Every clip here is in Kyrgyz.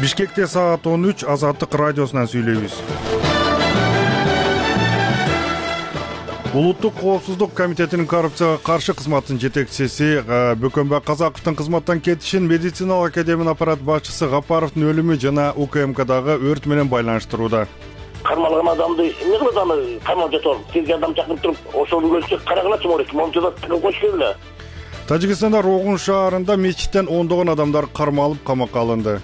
Бишкекте саат 13 Азаттык радиосунан сүйлөйбүз. Улуттук коопсуздук комитетинин коррупцияга каршы кызматынын жетекчиси Бөкөнбай Казаковдун кызматтан кетишин медициналык академиянын аппарат башчысы Гапаровдун өлүмү жана УКМКдагы өрт менен байланыштырууда. Кармалган адамды эмне кылат, аны камап жатып, тез жардам чакырып туруп, ошол өлчөк карагыла чумурек, момчуда коюш керек эле. Тажикстанда Рогун шаарында мечиттен ондогон адамдар кармалып камакка алынды.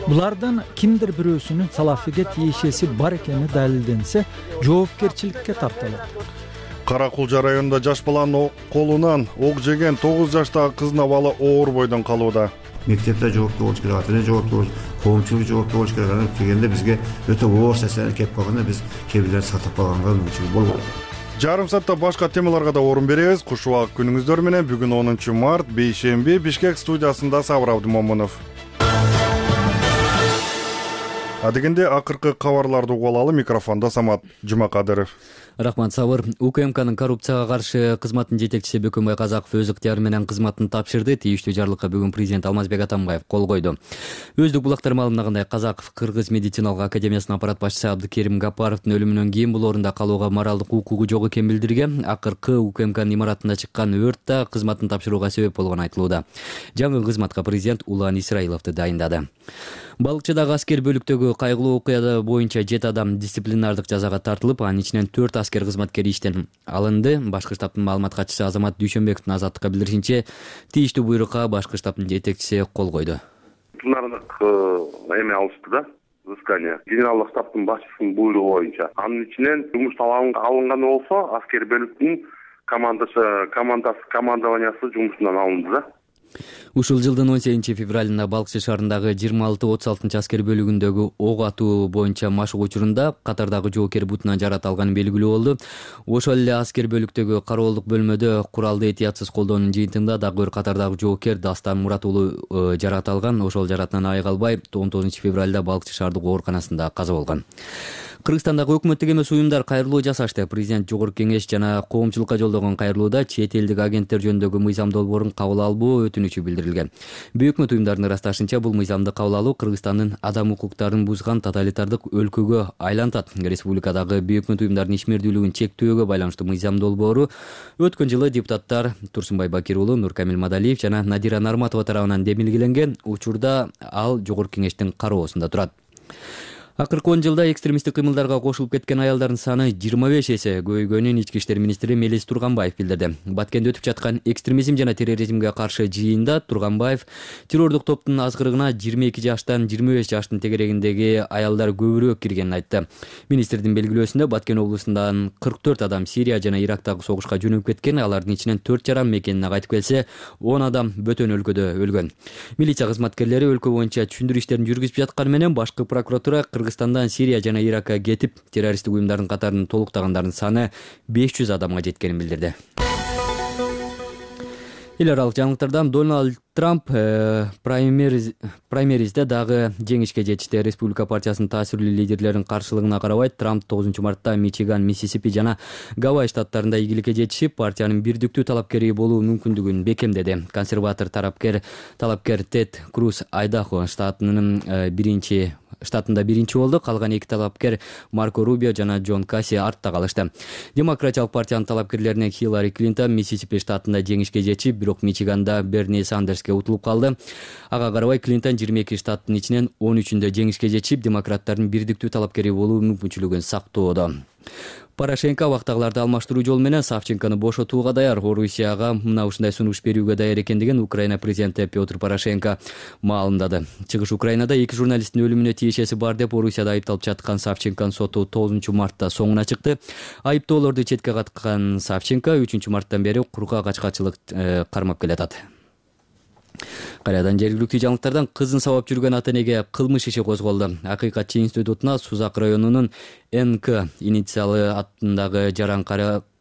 Булардан кимдир бирөөсүнүн салафиге тиешеси бар экени далилденсе, жоопкерчиликке тартылат. Каракулжа районунда жаш баланын колунан ок жеген 9 жаштагы кыздын абалы оор бойдон калууда. Мектепте жооптуу болуш керек, ата-эне жооптуу болуш, коомчулук жооптуу болуш керек. Анан келгенде бизге өтө оор сесен кеп калганда биз кээ бирлерди сатып калганга мүмкүнчүлүк болбойт. Жарым саатта башка темаларга да орун беребиз. Куш убак күнүңүздөр менен. Бүгүн 10 март, бейшемби, Бишкек студиясында Сабыр Абдымомунов. Адегенде акыркы кабарларды угуп алалы. Микрофондо Самат Жумакадыров. Рахмат, Сабыр. УКМКнын коррупцияга каршы кызматынын жетекчиси Бөкөнбай Казаков өз ыктыяры менен кызматын тапшырды. Тийиштүү жарлыкка бүгүн президент Алмазбек Атамбаев кол койду. Өздүк булактар маалымдагандай, Казаков Кыргыз медициналык академиясынын аппарат башчысы Абдыкерим Гапаровдун өлүмүнөн кийин бул орунда калууга моралдык укугу жок экенин билдирген. Акыркы УКМКнын имаратында чыккан өрт да кызматын тапшырууга себеп болгону айтылууда. Жаңы кызматка президент Улан Исраиловду дайындады. Балыкчыдагы аскер бөлүктөгү кайгылуу окуя боюнча 7 адам дисциплинардык жазага тартылып, анын ичинен 4 аскер кызматкери иштен алынды. Башкы штабтын маалымат катчысы Азамат Дүйшөнбековдун Азаттыкка билдиришинче, тийиштүү буйрукка башкы штабтын жетекчиси кол койду. Пленардык эме алышты да, взыскание. Генералдык штабтын башчысынын буйругу боюнча. Анын ичинен жумуштан алынганы болсо, аскер бөлүктүн командованиясы жумушунан алынды да. Ушул жылдын 18 февралында Балыкчы шаарындагы 26-36 аскер бөлүгүндөгү ок атуу боюнча машык учурунда катардагы жоокер бутунан жарат алганы белгилүү болду. Ошол эле аскер бөлүктөгү кароолдук бөлмөдө куралды этиятсыз колдоонун жыйынтыгында дагы бир катардагы жоокер Дастан Мурат уулу жарат алган. Ошол жаратынан айыга албай 19 февралда Балыкчы шаардык ооруканасында каза болгон. Кыргызстандагы өкмөттүк эмес уюмдар кайрылуу жасашты. Президент Жогорку Кеңеш жана коомчулукка жолдогон кайрылууда чет элдик агенттер жөнүндөгү мыйзам долбоорун кабыл албоо өтүнүчү билдирилген. Өкмөт уюмдарынын ырасташынча, бул мыйзамды кабыл алуу Кыргызстандын адам укуктарын бузган тоталитардык өлкөгө айлантат. Республикадагы өкмөт уюмдарынын ишмердүүлүгүн чектөөгө байланыштуу мыйзам долбоору өткөн жылы депутаттар Турсунбай Бакир уулу, Нуркамил Мадалиев жана Надира Нарматова тарабынан демилгеленген. Учурда ал Жогорку Кеңештин кароосунда турат. Акыркы 10 жылда экстремисттик кыймылдарга кошулуп кеткен аялдардын саны 25 эсе көбөйгөнүн Ички иштер министри Мелис Турганбаев билдирди. Баткенде өтүп жаткан экстремизм жана терроризмге каршы жыйында Турганбаев террордук топтун азгырыгына 22 жаштан 25 жаштын тегерегиндеги аялдар көбүрөөк киргенин айтты. Министрдин белгилөөсүндө Баткен облусундан 44 адам Сирия жана Ирактагы согушка жөнөп кеткен. Алардын ичинен 4 жаран мекенине кайтып келсе, 10 адам бөтөн өлкөдө өлгөн. Милиция кызматкерлери өлкө боюнча түшүндүрүү иштерин жүргүзүп жатканы менен башкы прокуратура Кыргызстандан Сирия жана Иракка кетип, террористтик уюмдардын катарын толуктагандардын саны 500 адамга жеткенин билдирди. Эл аралык жаңылыктардан Дональд Трамп праймеризде дагы жеңишке жетишти. Республика партиясынын таасирлүү лидерлеринин каршылыгына карабай, Трамп 9 мартта Мичиган, Миссисипи жана Гавай штаттарында ийгиликке жетишип, партиянын бирдиктүү талапкери болуу мүмкүндүгүн бекемдеди. Консерватор талапкер Тед Круз Айдахо штатында биринчи болду. Калган 2 талапкер Марко Рубио жана Джон Касси артта калышты. Демократиялык партиянын талапкерлеринен Хиллари Клинтон Миссисипи штатында жеңишке жетишип, бирок Мичиганда Берни Сандерске утулуп калды. Ага карабай Клинтон 22 штаттын ичинен 13-үндө жеңишке жетишип, демократтардын бирдиктүү талапкери болуу мүмкүнчүлүгүн сактоодо. Порошенко вактагыларды алмаштыруу жолу менен Савченкону бошотууга даяр. Орусияга мына ушундай сунуш берүүгө даяр экендигин Украина президенти Петр Порошенко маалымдады. Чыгыш Украинада 2 журналисттин өлүмүнө тиешеси бар деп Орусияда айыпталып жаткан Савченконун соту 9 мартта соңуна чыкты. Айыптоолорду четке каткан Савченко 3 марттан бери курка качкачылык кармап келатат. Кайрадан жергиликтүү жаңылыктардан кызын сабап жүргөн ата-энеге кылмыш иши козголду. Акыйкатчы институтуна Сузак районунун НК инициалы аттындагы жаран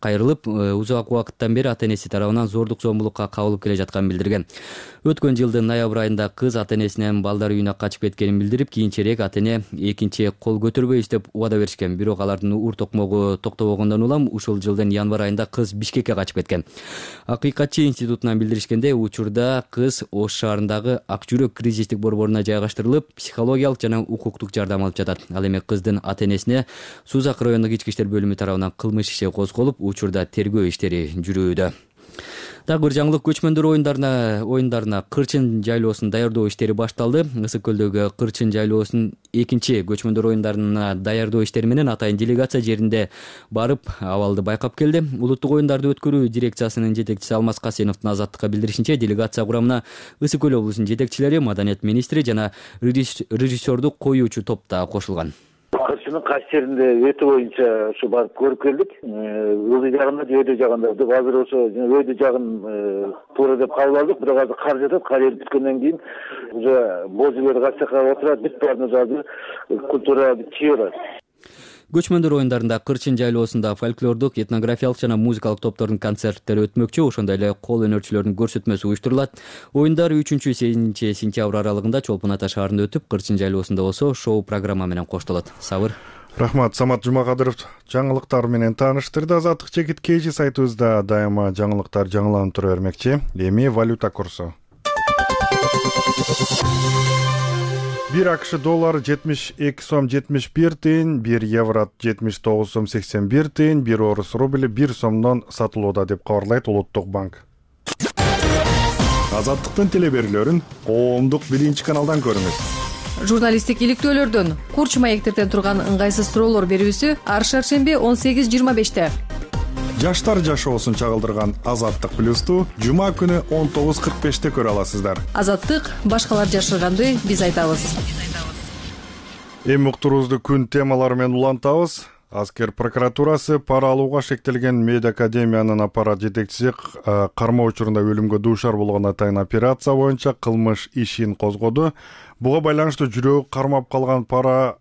кайрылып, узак убакыттан бери ата энеси тарабынан зордук зомбулукка кабылып келе жатканын билдирген. Өткөн жылдын ноябрь айында кыз ата энесинен балдар үйүнө качып кеткенин билдирип, кийинчерээк ата эне экинчи кол көтөрбөйбүз деп убада беришкен. Бирок алардын ур токмогу токтобогондон улам ушул жылдын январь айында кыз Бишкекке качып кеткен. Акыйкатчы институтунан билдиришкенде, учурда кыз Ош шаарындагы Ак жүрөк кризистик борборуна жайгаштырылып, психологиялык жана укуктук жардам алып жатат. Ал эми кыздын ата энесине Сузак райондук ички иштер бөлүмү тарабынан кылмыш иши козголуп, учурда тергөө иштери жүрүүдө. Дагы бир жаңылык, көчмөндөр оюндарына Кырчын жайлоосун даярдоо иштери башталды. Ысык көлдөгү Кырчын жайлоосунун экинчи көчмөндөр оюндарына даярдоо иштери менен атайын делегация жеринде барып, абалды байкап келди. Улуттук оюндарды өткөрүү дирекциясынын жетекчиси Алмаз Касеновдун Азаттыкка билдиришинче, делегация курамына Ысык көл облусунун жетекчилери, маданият министри жана режиссерду коюучу топ да кошулган. Кырчынын кайсы жеринде өтө боюнча ушу барып көрүп келдик. Ылдый жагында же өйдө жагында деп азыр ошо өйдө жагын туура деп кабыл алдык. Бирок азыр кар жатат. Кар эрип бүткөндөн кийин уже божулер качакка отурат, бүт баарын культура чыгарат. Көчмөндөр оюндарында Кырчын жайлоосунда фольклордук, этнографиялык жана музыкалык топтордун концерттери өтмөкчү, ошондой эле кол өнөрчүлөрдүн көрсөтмөсү уюштурулат. Оюндар 3-7 сентябрь аралыгында Чолпон Ата шаарында өтүп, Кырчын жайлоосунда болсо шоу программа менен коштолот. Сабыр. Рахмат, Самат Жумакадыров жаңылыктар менен тааныштырды. Азаттык чекит KG сайтыбызда дайыма жаңылыктар жаңыланып тура бермекчи. Эми валюта курсу. 1 АКШ доллары 72 сом 71 тыйын, 1 евро 79 сом 81 тыйын, 1 орус рубли 1 сомдон сатылууда деп кабарлайт Улуттук банк. Азаттыктын телеберүүлөрүн коомдук 1-каналдан көрүңүз. Журналисттик иликтөөлөрдөн, курч маектерден турган ыңгайсыз суроолор берүүсү ар шаршемби 18:25-те. Жаштар жашоосун чагылдырган Азаттык плюсту жума күнү 19:45-те көрө аласыздар. Азаттык башкалар жашырганды биз айтабыз. Эми уктуруубузду күн темалары менен улантабыз. Аскер прокуратурасы пара алууга шектелген Медиа академиянын аппарат жетекчиси кармоо учурунда өлүмгө дуушар болгон атайын операция боюнча кылмыш ишин козгоду. Буга байланыштуу жүрөгү кармап калган пара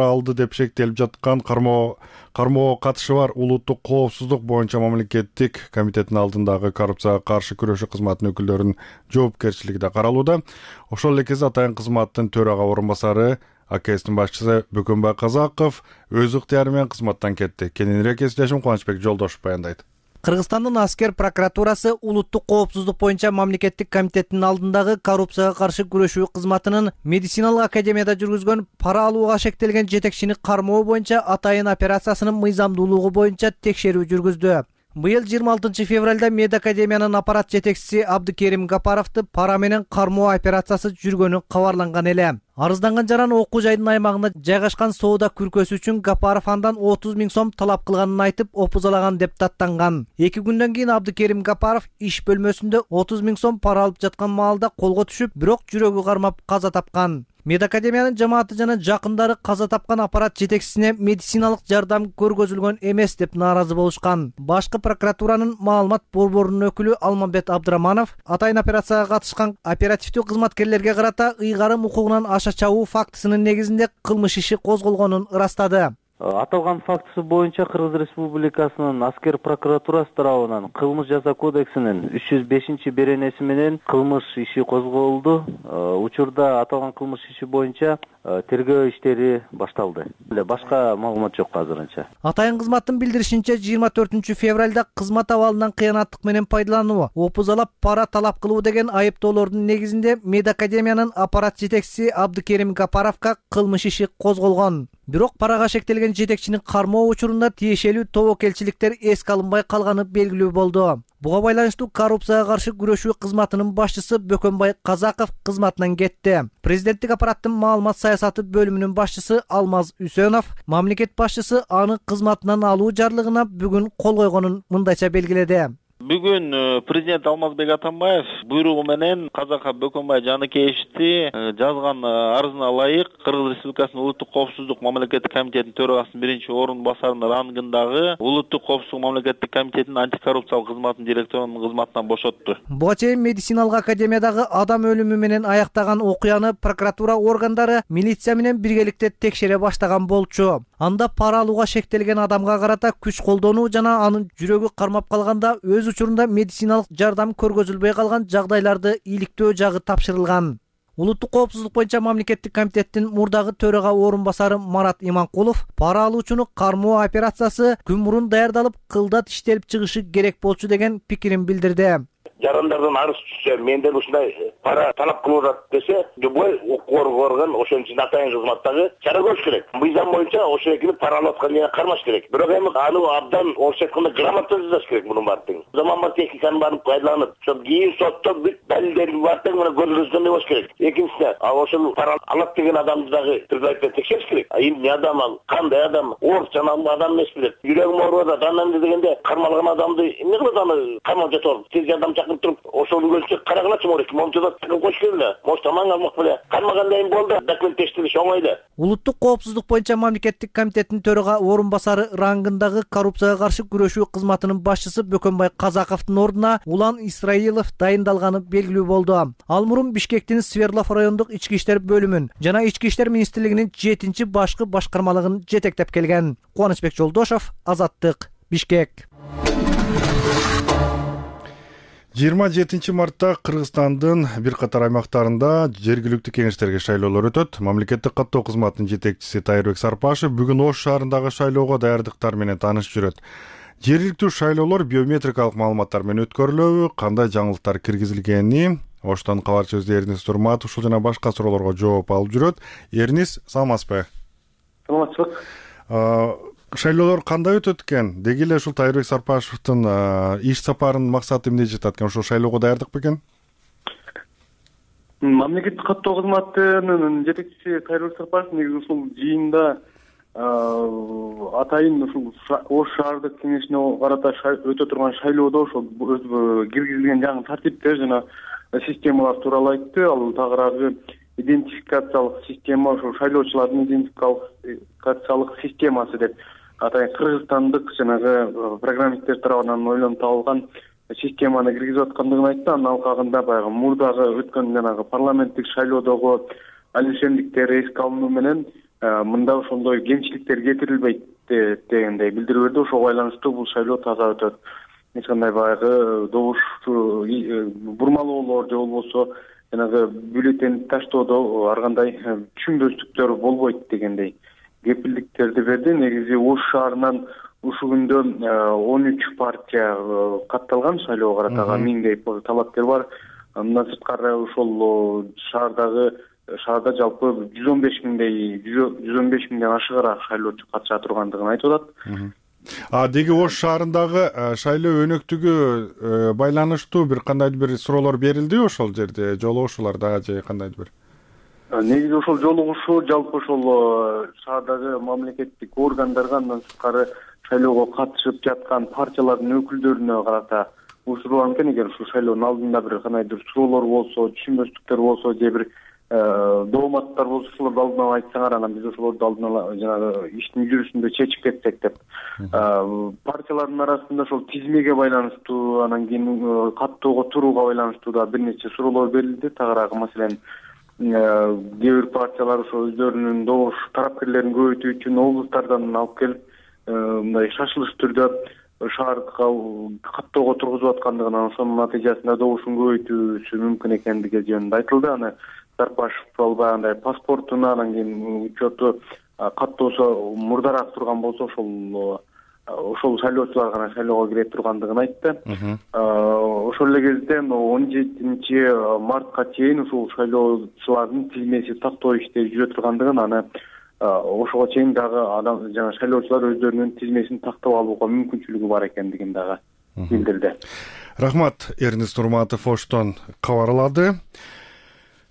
алды деп шектелип жаткан кармоого катышы бар Улуттук коопсуздук боюнча мамлекеттик комитеттин алдындагы коррупцияга каршы күрөшүү кызматынын өкүлдөрүнүн жоопкерчилиги да каралууда. Ошол эле кезде атайын кызматтын төрага орун басары АКСтин башчысы Бөкөнбай Казаков өз ыктыяры менен кызматтан кетти. Кененирээк эстешим Кубанычбек Жолдошев баяндайт. Кыргызстандын аскер прокуратурасы Улуттук коопсуздук боюнча мамлекеттик комитеттин алдындагы коррупцияга каршы күрөшүү кызматынын медициналык академияда жүргүзгөн пара алууга шектелген жетекчини кармоо боюнча атайын операциясынын мыйзамдуулугу боюнча текшерүү жүргүздү. Быйыл 26 февралда Медиа академиянын аппарат жетекчиси Абдыкерим Гапаровду пара менен кармоо операциясы жүргөнү кабарланган эле. Арызданган жаран окуу жайдын аймагында жайгашкан соода күркөсү үчүн Гапаров андан 30 000 сом талап кылганын айтып, опузалаган деп даттанган. 2 күндөн кийин Абдыкерим Гапаров иш бөлмөсүндө 30 000 сом пара алып жаткан маалда колго түшүп, бирок жүрөгү кармап каза тапкан. Медиа академиянын жамааты жана жакындары каза тапкан аппарат жетекчисине медициналык жардам көргөзүлгөн эмес деп нааразы болушкан. Башкы прокуратуранын маалымат борборунун өкүлү Алмамбет Абдыраманов атайын операцияга катышкан оперативдүү кызматкерлерге карата ыйгарым укугунан аша чабуу фактысынын негизинде кылмыш иши козголгонун ырастады. Аталган фактысы боюнча Кыргыз Республикасынын аскер прокуратурасы тарабынан кылмыш жаза кодексинин 305-беренеси менен кылмыш иши козголду. Учурда аталган кылмыш иши боюнча тергөө иштери башталды. Башка маалымат жок азырынча. Атайын кызматтын билдиришинче 24 февралда кызмат абалынан кыянаттык менен пайдалануу, опузалап пара талап кылуу деген айыптоолордун негизинде Медиа академиянын аппарат жетекчиси Абдыкерим Гапаровго кылмыш иши козголгон. Бирок парага шектелген жетекчини кармоо учурунда тиешелүү тобокелчиликтер эске алынбай калганы белгилүү болду. Буга байланыштуу коррупцияга каршы күрөшүү кызматынын башчысы Бөкөнбай Казаков кызматынан кетти. Президенттик аппараттын маалымат саясаты бөлүмүнүн башчысы Алмаз Үсөнов мамлекет башчысы аны кызматынан алуу жарлыгына бүгүн кол койгонун мындайча белгиледи. Бүгүн президент Алмазбек Атамбаев буйругу менен Казака Бөкөнбай Жаныкеевичти жазган арызына ылайык Кыргыз Республикасынын улуттук коопсуздук мамлекеттик комитетинин төрагасынын биринчи орун басарынын рангындагы улуттук коопсуздук мамлекеттик комитетинин антикоррупциялык кызматынын директорунун кызматынан бошотту. Буга чейин медициналык академиядагы адам өлүмү менен аяктаган окуяны прокуратура органдары милиция менен биргеликте текшере баштаган болчу. Анда пара алууга шектелген адамга карата күч колдонуу жана анын жүрөгү кармап калганда өз учурунда медициналык жардам көргөзүлбөй калган жагдайларды иликтөө жагы тапшырылган. Улуттук коопсуздук боюнча мамлекеттик комитеттин мурдагы төрага орун басары Марат Иманкулов пара алуучуну кармоо операциясы күн мурун даярдалып, кылдат иштелип чыгышы керек болчу деген пикирин билдирди. Жарандардан арыз түшсө, менден ушундай пара талап кылып атат десе, любой укук орган ошон үчүн атайын кызматтагы чара көрүш керек. Мыйзам боюнча ошол экини пара алып аткан жерге кармаш керек. Бирок эми аны абдан орусча айтканда грамотно жазыш керек мунун баардыгын. Заманбап техниканы барып пайдаланып, ошол кийин сотто бүт далилдерди баардыгы мына көрсөткөндөй болуш керек. Экинчиси, ошол пара алат деген адамды дагы предварительно текшериш керек. Эмне адам ал, кандай адам, оор жанагы адам эмес билет. Жүрөгүм ооруп атат, анан дегенде кармалган адамды эмне кылат аны камап жатып, тез жардам туруп ошол өлчөп карагалачы морек момчада кош келе мош таман алмак беле кармагандай болду документ тештириш оңой эле. Улуттук коопсуздук боюнча мамлекеттик комитеттин төрага орун басары рангындагы коррупцияга каршы күрөшүү кызматынын башчысы Бөкөнбай Казаковдун ордуна Улан Исраилов дайындалганы белгилүү болду. Ал мурун Бишкектин Свердлов райондук ички иштер бөлүмүн жана ички иштер министрлигинин 7-чи башкы башкармалыгын жетектеп келген. Кубанычбек Жолдошов, Азаттык, Бишкек. 27 мартта Кыргызстандын бир катар аймактарында жергиликтүү кеңештерге шайлоолор өтөт. Мамлекеттик каттоо кызматынын жетекчиси Тайырбек Сарпашев бүгүн Ош шаарындагы шайлоого даярдыктар менен таанышып жүрөт. Жергиликтүү шайлоолор биометрикалык маалыматтар менен өткөрүлөбү, кандай жаңылыктар киргизилгени, Оштон кабарчы Эрнис Турматов ушул жана башка суроолорго жооп алып жүрөт. Эрнис, саламатсызбы? Саламатсызбы. Шайлоолор кандай өтөт экен? Деги эле ушул Тайырбек Сарпашевдин иш сапарынын максаты эмне жатат экен? Ушул шайлоого даярдык бекен? Мамлекеттик каттоо кызматынын жетекчиси Тайырбек Сарпашев негизи ушул жыйында атайын ушул Ош шаардык кеңешине карата өтө турган шайлоодо ошол киргизилген жаңы тартиптер жана системалар тууралуу айтты. Ал тагыраагы идентификациялык система, ошол шайлоочулардын идентификациялык системасы деп атайын кыргызстандык жанагы программисттер тарабынан ойлонуп табылган системаны киргизип аткандыгын айтты. Анын алкагында баягы мурдагы өткөн жанагы парламенттик шайлоодогу алишендиктер эске алынуу менен мында ошондой кемчиликтер кетирилбейт дегендей билдирүү берди. Ошого байланыштуу бул шайлоо таза өтөт. Эч кандай баягы добуш бурмалоолор же болбосо жанагы бюллетень таштоодо ар кандай түшүнбөстүктөр болбойт дегендей кепилдиктерди берди. Негизи Ош шаарынан ушул күндө 13 партия катталган шайлоого карата 1000 талапкер бар. Андан сырткары ошол шаарда жалпы 115 миңден ашыгыраак шайлоочу катыша тургандыгын айтып атат. Деги Ош шаарындагы шайлоо өнөктүгү байланыштуу бир кандайдыр бир суроолор берилдиби ошол жерде? Жолугушууларда же кандайдыр бир? Негизи ошол жолугушуу жалпы ошол шаардагы мамлекеттик органдарга, андан сырткары шайлоого катышып жаткан партиялардын өкүлдөрүнө карата учурланып экен. Эгер ушул шайлоонун алдында бир кандайдыр суроолор болсо, түшүнбөстүктөр болсо же бир дооматтар болсо, ошолорду алдын ала айтсаңар, анан биз ошолорду алдын ала жанагы иштин жүрүшүндө чечип кетсек деп. Партиялардын арасында ошол тизмеге байланыштуу, анан кийин каттоого турууга байланыштуу да бир нече суроолор берилди. Тагыраагы маселен кээ бир партиялар ошо өздөрүнүн добуш тарапкерлерин көбөйтүү үчүн облустардан алып келип мындай шашылыш түрдө шаарга каттоого тургузуп аткандыгынан, ошонун натыйжасында добушун көбөйтүүсү мүмкүн экендиги жөнүндө айтылды. Аны Сарпашев албагандай паспортун, анан кийин учету каттоосу мурдараак турган болсо ошол шайлоочулар гана шайлоого кире тургандыгын айтты. Ошол эле кезде 17 мартка чейин ушул шайлоочулардын тизмеси тактоо иштери жүрө тургандыгын, аны ошого чейин дагы жана шайлоочулар өздөрүнүн тизмесин тактап алууга мүмкүнчүлүгү бар экендигин дагы билдирди. Рахмат, Эрнис Турматов Оштон кабарлады.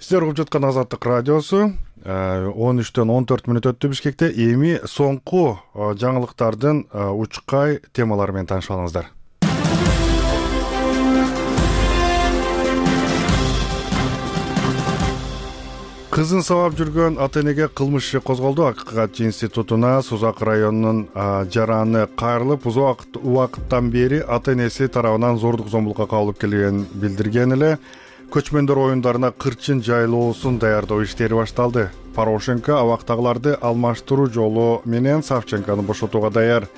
Сиздер угуп жаткан Азаттык радиосу 13-төн 14 мүнөт өттү Бишкекте. Эми соңку жаңылыктардын учкай темалары менен таанышып алыңыздар. Кызын сабап жүргөн ата энеге кылмыш иши козголду. Акыйкатчы институтуна Сузак районунун жараны кайрылып, узак убакыттан бери ата энеси тарабынан зордук зомбулукка кабылып келгенин билдирген эле. Көчмөндөр оюндарына кырчын жайлоосун даярдоо иштери башталды. Порошенко абактагыларды алмаштыруу жолу менен Савченкону бошотууга даяр.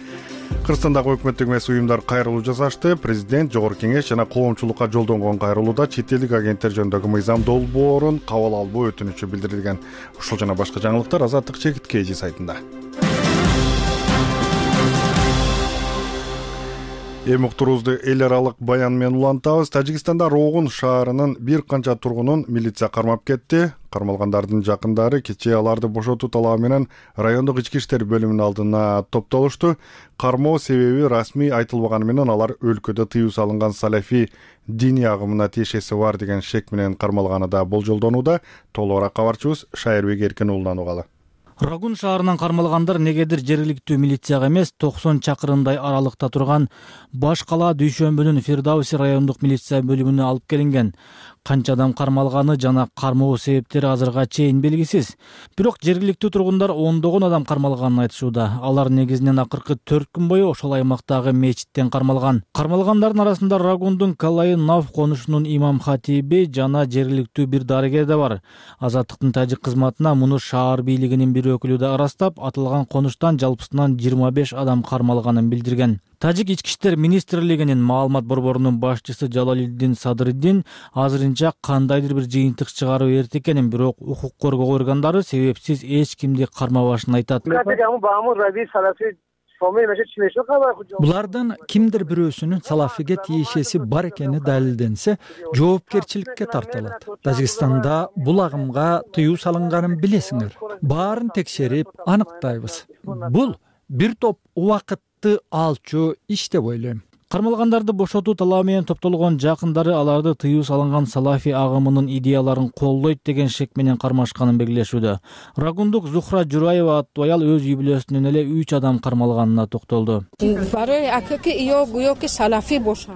Кыргызстандагы өкмөттүк эмес уюмдар кайрылуу жасашты. Президент, Жогорку Кеңеш жана коомчулукка жолдонгон кайрылууда чет элдик агенттер жөнүндөгү мыйзам долбоорун кабыл албоо өтүнүчү билдирилген. Ушул жана башка жаңылыктар Азаттык Чекиткейжи сайтында. Эми уктуруубузду эл аралык баян менен улантабыз. Тажикстанда Рогун шаарынын бир канча тургунун милиция кармап кетти. Кармалгандардын жакындары кечээ аларды бошотуу талабы менен райондук ички иштер бөлүмүнүн алдына топтолушту. Кармоо себеби расмий айтылбаганы менен алар өлкөдө тыюу салынган салафий диний агымына тиешеси бар деген шек менен кармалганы да болжолдонууда. Толугураак кабарчыбыз Шайырбек Эркин уулунан угалы. Рогун шаарынан кармалгандар негедир жергиликтүү милицияга эмес 90 чакырымдай аралыкта турган Баш кала Дүйшөмбүнүн Фирдауси райондук милиция бөлүмүнө алып келинген. Канча адам кармалганы жана кармоо себептери азырга чейин белгисиз. Бирок жергиликтүү тургундар ондогон адам кармалганын айтышууда. Алар негизинен акыркы 4 күн бою ошол аймактагы мечиттен кармалган. Кармалгандардын арасында Рогундун Калайын Нав конушунун имам хатиби жана жергиликтүү бир дарыгер да бар. Азаттыктын тажик кызматына муну шаар бийлигинин бир өкүлү да ырастап, атылган конуштан жалпысынан 25 адам кармалганын билдирген. Тажик ички иштер министрлигинин маалымат борборунун башчысы Жалалиддин Садыриддин азырынча кандайдыр бир жыйынтык чыгаруу эрте экенин, бирок укук коргоо органдары себепсиз эч кимди кармабашын айтат. Булардын кимдир бирөөсүнүн салафиге тиешеси бар экени далилденсе, жоопкерчиликке тартылат. Тажикстанда бул агымга тыюу салынганын билесиңер. Баарын текшерип аныктайбыз. Бул бир топ убакытты алчу иш деп ойлойм. Кармалгандарды бошотуу талабы менен топтолгон жакындары аларды тыюу салынган салафи агымынын идеяларын колдойт деген шек менен кармашканын белгилешүүдө. Рагундук Зухра Жураева аттуу аял өз үй бүлөсүнөн эле 3 адам кармалганына токтолду.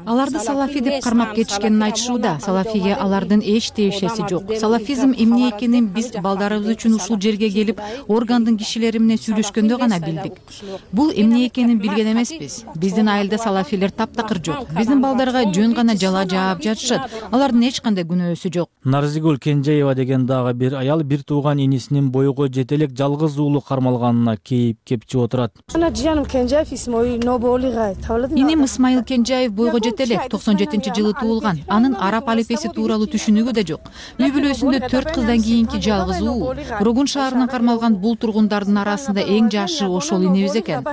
Аларды салафи деп кармап кетишкенин айтышууда. Салафиге алардын эч тиешеси жок. Салафизм эмне экенин биз балдарыбыз үчүн ушул жерге келип, органдын кишилери менен сүйлөшкөндө гана билдик. Бул эмне экенин билген эмеспиз. Биздин айылда салафилер таптакыр жок. Биздин балдарга жөн гана жала жаап жатышат. Алардын эч кандай күнөөсү жок. Нарзигул Кенжеева деген дагы бир аял бир тууган инисинин бойго жете элек жалгыз уулу кармалганына кейип кепчип отурат. Иним Исмаил Кенжеев бойго жете элек 97-жылы туулган. Анын араб алифеси тууралуу түшүнүгү да жок. Үй бүлөсүндө 4 кыздан кийинки жалгыз уулу. Рогун шаарынан кармалган бул тургундардын арасында эң жашы ошол инебиз экен.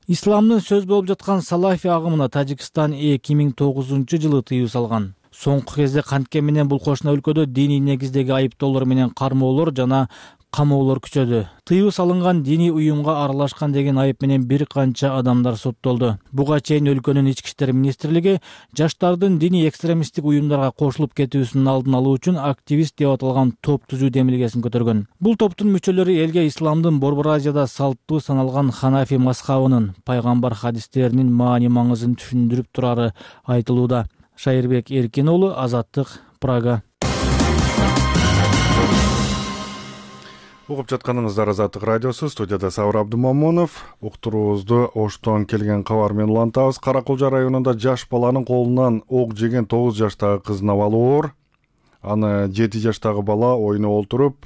Исламдын сөз болуп жаткан салафи агымына Тажикстан 2009-жылы тыюу салган. Соңку кезде кантке менен бул кошуна өлкөдө диний негиздеги айыптоолор менен кармоолор жана камоолор күчөдү. Тыюу салынган диний уюмга аралашкан деген айып менен бир канча адамдар соттолду. Буга чейин өлкөнүн ички иштер министрлиги жаштардын диний экстремисттик уюмдарга кошулуп кетүүсүнүн алдын алуу үчүн активист деп аталган топ түзүү демилгесин көтөргөн. Бул топтун мүчөлөрү элге исламдын Борбор Азияда салттуу саналган Ханафи мазхабынын пайгамбар хадистеринин маани маңызын түшүндүрүп турары айтылууда. Шайырбек Эркин уулу, Азаттык, Прага. Угуп жатканыңыздар Азаттык радиосу, студияда Сабыр Абдумамунов. Уктуруубузду Оштон келген кабар менен улантабыз. Каракулжа районунда жаш баланын колунан ок жеген 9 жаштагы кыздын абалы оор. Аны 7 жаштагы бала ойноп олтуруп,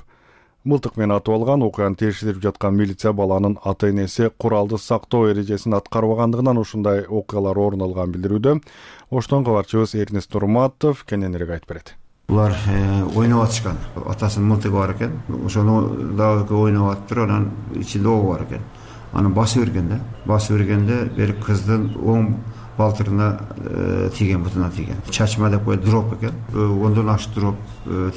мылтык менен атып алган. Окуяны текшерип жаткан милиция баланын ата-энеси куралды сактоо эрежесин аткарбагандыгынан ушундай окуялар орун алганын билдирүүдө. Оштон кабарчыбыз Эрнест Нурматов кененирээк айтып берет. Булар ойноп атышкан. Атасынын мылтыгы бар экен. Ошону дагы ойноп атыптыр, анан ичинде ок бар экен. Аны басып берген да. Басып бергенде бир кыздын оң балтырына тийген, бутуна тийген. Чачма деп коет, дроп экен. Ондон аш дроп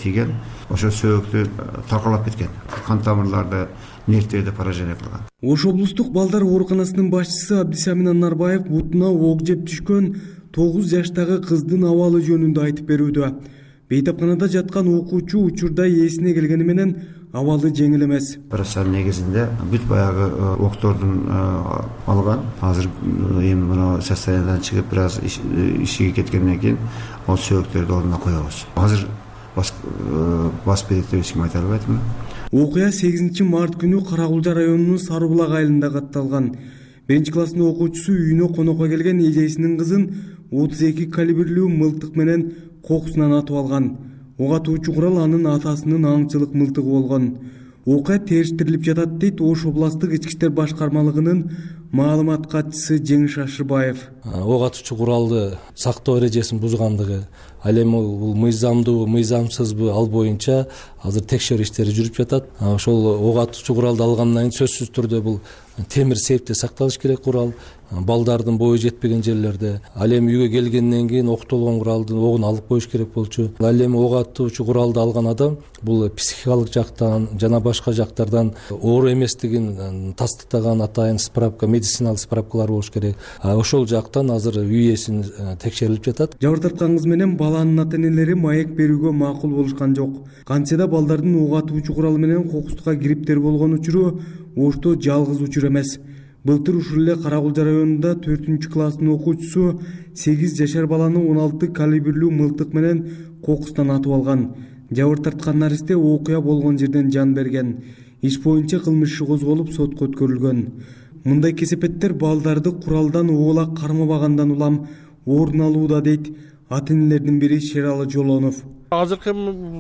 тийген. Ошо сөйөктү таркалап кеткен. Кан тамырларды нервтерди поражение кылган. Ош облустук балдар ооруканасынын башчысы Абдисамин Анарбаев бутуна ок жеп түшкөн 9 жаштагы кыздын абалы жөнүндө айтып берүүдө. Бейтапканада жаткан окуучу учурда ээсине келгени менен абалы жеңил эмес. Операциянын негизинде бүт баягы октордун алган. Азыр эми мына состояниядан чыгып бир аз ишиге кеткенден кийин ал сөйөктөрдү ордуна коебуз. Азыр бас берет деп эч ким айта албайт. Окуя 8 март күнү Каракулжа районунун Сары Булак айылында катталган. 1-класстын окуучусу үйүнө конокко келген эжесинин кызын 32 калибрлүү мылтык менен кокусунан атып алган. Ок атуучу курал анын атасынын аңчылык мылтыгы болгон. Окуя териштирилип жатат дейт Ош областтык ички иштер башкармалыгынын маалымат катчысы Жеңиш Ашырбаев. Ок атуучу куралды сактоо эрежесин бузгандыгы, ал эми бул мыйзамдуу, мыйзамсызбы, ал боюнча азыр текшерүү иштери жүрүп жатат. Ошол ок атуучу куралды алгандан кийин сөзсүз түрдө бул темир сейфте сакталыш керек курал, балдардын бою жетпеген жерлерде. Ал эми үйгө келгенден кийин октолгон куралдын огун алып коюш керек болчу. Ал эми ок атуучу куралды алган адам бул психикалык жактан жана башка жактардан оор эместигин тастыктаган атайын справка, медициналык справкалар болуш керек. Ошол жактан азыр үй ээсин текшерилип жатат. Жабыр тарткан кыз менен баланын ата-энелери маек берүүгө макул болушкан жок. Кантсе да балдардын ок атуучу куралы менен кокустукка кириптери болгон учуру Ошто жалгыз учур эмес. Былтыр ушул эле Каракулжа районунда 4-класстын окуучусу 8 жашар баланы 16 калибрлүү мылтык менен кокустан атып алган. Жабыр тарткан наристе окуя болгон жерден жан берген. Иш боюнча кылмыш иши козголуп сотко өткөрүлгөн. Мындай кесепеттер балдарды куралдан оолак кармабагандан улам орун алууда дейт ата-энелердин бири Шералы Жолонов. Азыркы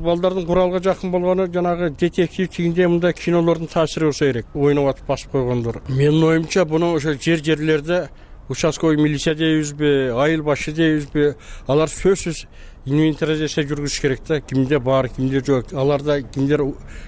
балдардын куралга жакын болгону жанагы детектив тигинде мындай кинолордун таасири болсо керек. Ойноп атып басып койгондор. Менин оюмча буну ошо жерлерде участковый милиция дейбизби, айыл башы дейбизби, алар сөзсүз инвентаризация жүргүзүш керек да. Кимде бар, кимде жок. Аларда кимдер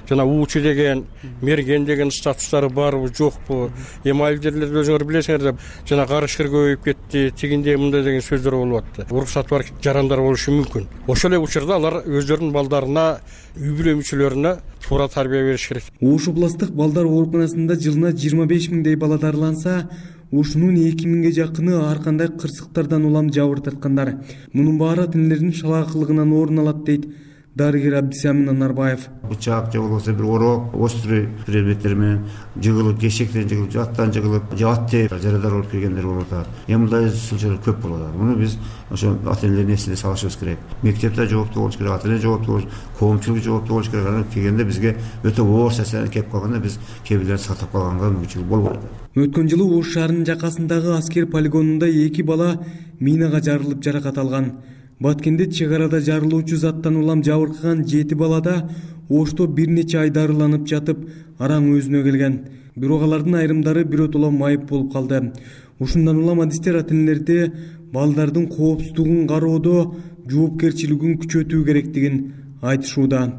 жана уучу деген, мерген деген статустары барбы, жокпу? Эми айыл жерлерде өзүңөр билесиңер да, жана карышкыр көбөйүп кетти, тигинде мындай деген сөздөр болуп атты. Уруксаты бар жарандар болушу мүмкүн. Ошол эле учурда алар өздөрүнүн балдарына, үй бүлө мүчөлөрүнө туура тарбия бериш керек. Ош областтык балдар ооруканасында жылына 25 миңдей бала дарыланса, ушунун 2 миңге жакыны ар кандай кырсыктардан улам жабыр тарткандар. Мунун баары ата-энелердин шалаакылыгынан орун алат дейт дарыгер Абдисамин Анарбаев. Бычак же болбосо бир орок, острый предметтер менен жыгылып, кешектен жыгылып, жаттан жыгылып, ат тээп жарадар болуп келгендер болуп атат. Эми мындай случайлар көп болуп атат. Муну биз ошо ата-энелердин эсине салышыбыз керек. Мектепте жооптуу болуш керек, ата-эне жооптуу болуш, коомчулук жооптуу болуш керек. Анан келгенде бизге өтө оор нерселер келип калганда биз кээ бирлерин сактап калганга мүмкүнчүлүк болбойт. Өткөн жылы Ош шаарынын жакасындагы аскер полигонунда 2 бала минага жарылып жаракат алган. Баткенде чек арада жарылуучу заттан улам жабыркаган 7 балада Ошто бир нече ай дарыланып жатып, араң өзүнө келген. Бирок алардын айрымдары биротоло майып болуп калды. Ушундан улам адистер ата-энелерди балдардын коопсуздугун кароодо жоопкерчилигин күчөтүү керектигин айтышууда.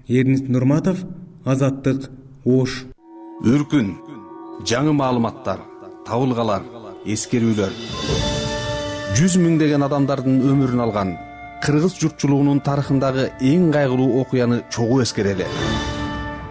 Эрнис Нурматов, Азаттык, Ош. Үркүн, жаңы маалыматтар, табылгалар, эскерүүлөр. 100 миңдеген адамдардын өмүрүн алган кыргыз журтчулугунун тарыхындагы эң кайгылуу окуяны чогуу эскерели.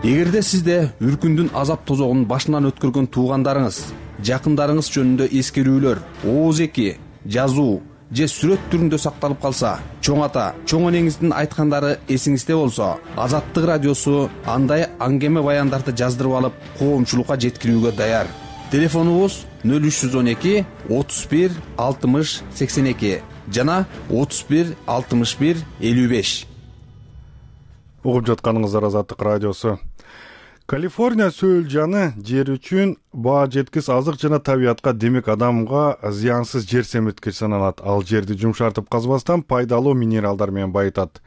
Эгерде сизде үркүндүн азап тозогун башынан өткөргөн туугандарыңыз, жакындарыңыз жөнүндө эскерүүлөр, ооз-эки, жазуу же сүрөт түрүндө сакталып калса, чоң ата, чоң энеңиздин айткандары эсиңизде болсо, Азаттык радиосу андай аңгеме баяндарды жаздырып алып, коомчулукка жеткирүүгө даяр. Телефонубуз 0312 31 60 82 жана 31 61 55. Угуп жатканыңыздар Азаттык радиосу. Калифорния сөөлжаны жер үчүн баа жеткис азык жана табиятка, демек адамга зыянсыз жер семирткич саналат. Ал жерди жумшартып казбастан пайдалуу минералдар менен байытат.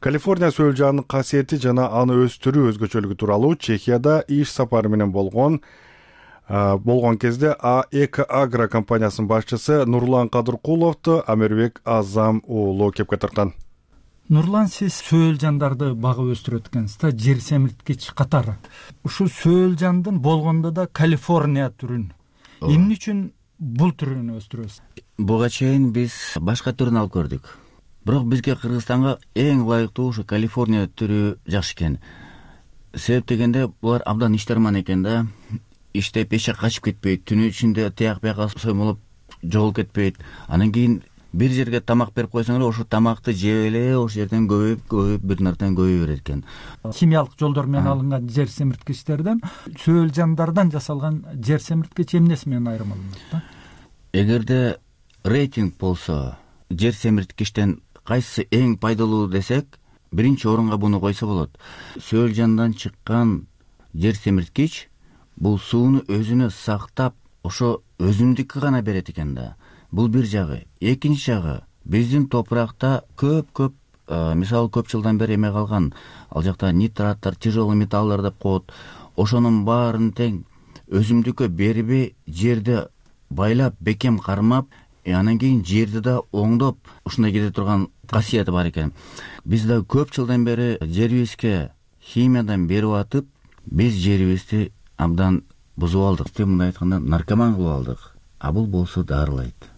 Калифорния сөөлжанынын касиети жана аны өстүрүү өзгөчөлүгү тууралуу Чехияда иш сапары менен болгон кезде АЭК Агро компаниясынын башчысы Нурлан Кадыркуловду Амербек Азам уулу кепке тарткан. Нурлан, сиз сөөлжандарды багып өстүрөт экенсиз да, жер семирткич катары. Ушул сөөлжандын болгондо да Калифорния түрүн. Эмне үчүн бул түрүн өстүрөбүз? Буга чейин биз башка түрүн алып көрдүк. Бирок бизге Кыргызстанга эң ылайыктуу ушу Калифорния түрү жакшы экен. Себеп дегенде булар абдан иштерман экен да. Иштеп эче качып кетпейт, түнү ичинде тияк бияка соймолуп жоголуп кетпейт. Анан кийин бир жерге тамак берип койсоң эле ошо тамакты жеп эле ошол жерден көбөйүп бир нардан көбөй берет экен. Химиялык жолдор менен алынган жер семирткичтерден сөөлжандардан жасалган жер семирткич эмнеси менен айырмаланат да? Эгерде рейтинг болсо, жер семирткичтен кайсысы эң пайдалуу десек, биринчи орунга буну койсо болот. Сөөлжандан чыккан жер семирткич бул сууну өзүнө сактап, ошо өзүмдүккө гана берет экен да. Бул бир жагы. Экинчи жагы, биздин топуракта көп мисалы көп жылдан бери эме калган, ал жакта нитраттар, тяжелый металлдар деп коет. Ошонун баарын тең өзүмдүккө бербей, жерди байлап, бекем кармап, анан кийин жерди да оңдоп, ушундай кете турган касияты бар экен. Биз да көп жылдан бери жерибизге химиядан берип атып, биз жерибизди абдан бузуп алдык. Мындай айтканда, наркоман кылып алдык. А бул болсо дарылайт.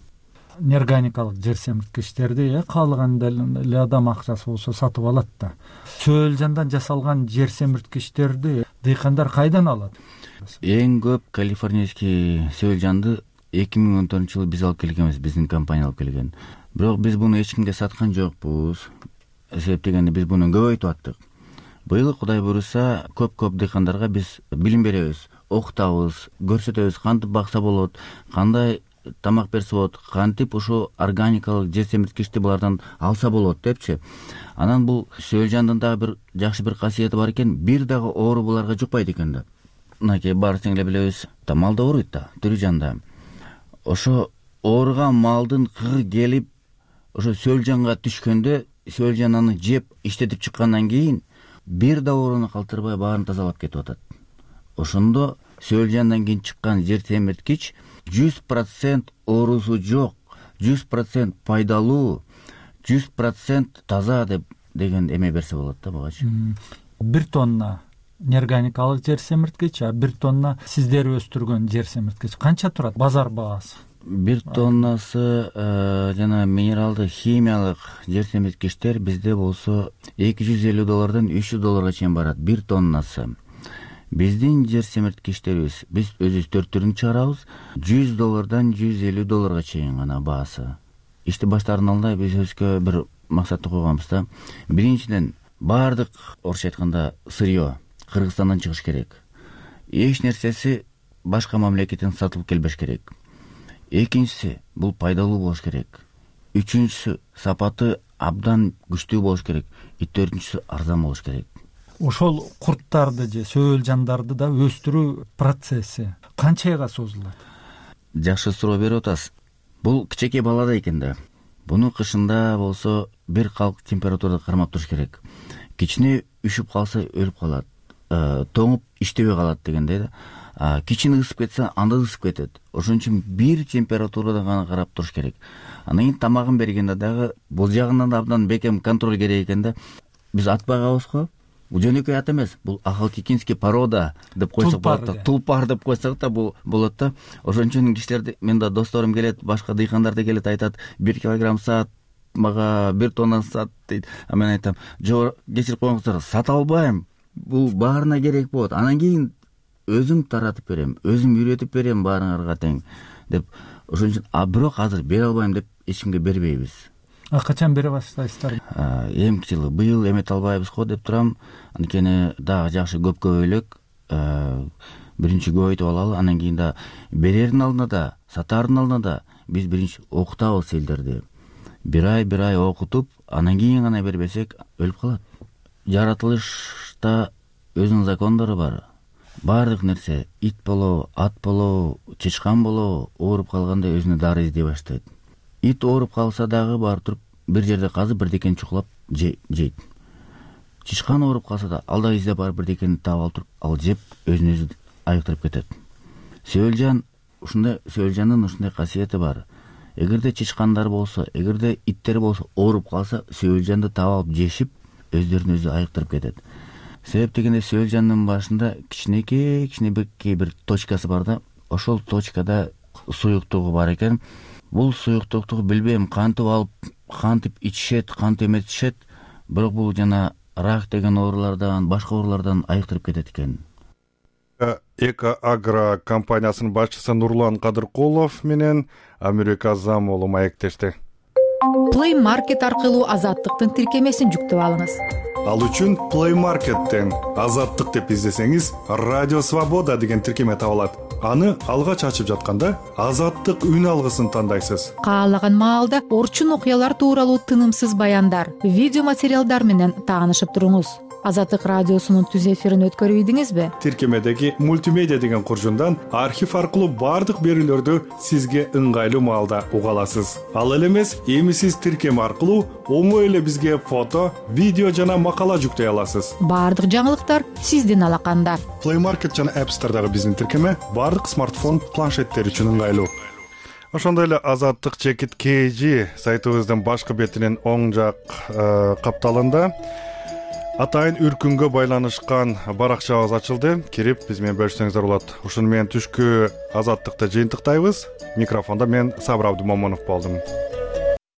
Неорганикалык жер семирткичтерди каалаган эле адам акчасы болсо сатып алат да. Сөөлжандан жасалган жер семирткичтерди дыйкандар кайдан алат? Эң көп калифорнийский сөөлжанды 2014-жылы биз алып келгенбиз, биздин компания алып келген. Бирок биз буну эч кимге саткан жокпуз. Себеп дегенде биз буну көбөйтүп аттык. Быйыл Кудай буйруса көп дыйкандарга биз билим беребиз, окутабыз, көрсөтөбүз кантип бакса болот, кандай тамак берсе болот, кантип ушу органикалык жер семирткичти булардан алса болот депчи. Анан бул сөөлжандын дагы бир жакшы бир касиети бар экен, бир дагы оору буларга жукпайт экен да. Мынакей баарыбыз эле билебиз, мал да ооруйт да, тирүү жанда. Ошо ооруган малдын кыры келип, ошо сөөлжанга түшкөндө, сөөлжан аны жеп, иштетип чыккандан кийин бир да ооруну калтырбай баарын тазалап кетип атат. Ошондо сөөлжандан кийин чыккан жер семирткич 100% оорусу жок, 100% пайдалуу, 100% таза деген эме берсе болот да бугачы. 1 тонна неорганикалык жер семирткич, 1 тонна сиздер өстүргөн жер семирткич канча турат базар баасы? 1 тоннасы жана минералдык химиялык жер семирткичтер бизде болсо $250 $300 чейин барат 1 тоннасы. Биздин жер семирткичтерибиз, биз өзүбүз 4 түрүн чыгарабыз, $100 $150 чейин гана баасы. Ишти баштаардын алдында биз өзгө бир максатты койгонбуз да. Биринчиден, баардык орусча айтканда сырьё Кыргызстандан чыгыш керек. Эч нерсеси башка мамлекеттен сатылып келбеш керек. Экинчиси, бул пайдалуу болуш керек. Үчүнчүсү, сапаты абдан күчтүү болуш керек. Төртүнчүсү, арзан болуш керек. Ошол курттарды же сөөлжандарды да өстүрүү процесси канча айга созулат? Жакшы суроо берип атасыз. Бул кичинекей балада экен да. Буну кышында болсо бир калк температурада кармап туруш керек. Кичине үшүп калса өлүп калат. Тоңуп иштебей калат дегендей да. Кичине ысып кетсе, анда ысып кетет. Ошон үчүн бир температурада гана карап туруш керек. Анан кийин тамагын бергенде дагы бул жагынан да абдан бекем контроль керек экен да. Биз ат багабыз го. Бул жөнөкөй ат эмес, бул ахалтекинский порода деп койсок болот да. Тулпар деп койсок да бул болот да. Ошон үчүн кишилер, мен да досторум келет, башка дыйкандар да келет, айтат, 1 килограмм сат, мага 1 тонна сат дейт. А мен айтам, жок, кечирип коюңуздар, сата албайм. Бул баарына керек болот. Анан кийин өзүм таратып берем, өзүм үйрөтүп берем баарыңарга тең деп. Ошон үчүн бирок азыр бере албайм деп эч кимге бербейбиз. Качан бере баштайсыздар? Эмки жылы, быйыл эмете албайбыз го деп турам. Анткени дагы жакшы көп көбөйлөк, биринчи көбөйтүп алалы, анан кийин да берердин алдында да, сатаардын алдында да биз биринчи окутабыз элдерди. Бир ай окутуп, анан кийин гана бербесек өлүп калат. Жаратылышта өзүнүн закондору бар. Баардык нерсе, ит болобу, ат болобу, чычкан болобу, ооруп калганда өзүнө дары издей баштайт. Ит ооруп калса дагы барып туруп бир жерде казып бирдекени чукулап жейт. Чычкан ооруп калса да ал да издеп барып бирдекени таап алып туруп, ал жеп өзүн өзү айыктырып кетет. Сөөлжан сөөлжандын ушундай касиети бар. Эгерде чычкандар болсо, эгерде иттер болсо ооруп калса, сөөлжанды таап алып жешип, өздөрүн өзү айыктырып кетет. Себеп дегенде сөөлжандын башында кичинекей бир точкасы бар да, ошол точкада суюктугу бар экен. Бул суюктукту билбейм кантип алып, кантип ичишет, кантип эметишет, бирок бул жана рак деген оорулардан, башка оорулардан айыктырып кетет экен. Эко Агро компаниясынын башчысы Нурлан Кадыркулов менен Америка Замолу маектешти. Play Market аркылуу азаттыктын тиркемесин жүктөп алыңыз. Ал үчүн Play Market'тен Азаттык деп издесеңиз, Радио Свобода деген тиркеме табылат. Аны алгач ачып жатканда Азаттык үн алгысын тандайсыз. Каалаган маалда орчун окуялар тууралуу тынымсыз баяндар, видео материалдар менен таанышып туруңуз. Азаттык радиосунун түз эфирин өткөрүп ийдиңизби? Тиркемедеги мультимедиа деген куржундан архив аркылуу бардык берүүлөрдү сизге ыңгайлуу маалда уга аласыз. Ал эле эмес, эми сиз тиркеме аркылуу оңой эле бизге фото, видео жана макала жүктөй аласыз. Бардык жаңылыктар сиздин алаканда. Play Market жана App Store'дагы биздин тиркеме бардык смартфон, планшеттер үчүн ыңгайлуу. Ошондой эле Азаттык чекит KG сайтыбыздын башкы бетинин оң жак капталында атайын үркүнгө байланышкан баракчабыз ачылды. Кирип биз менен бөлүшсөңүздөр болот. Ушуну менен түшкү Азаттыкты жыйынтыктайбыз. Микрофондо мен Сабыр Абдымомунов болдум.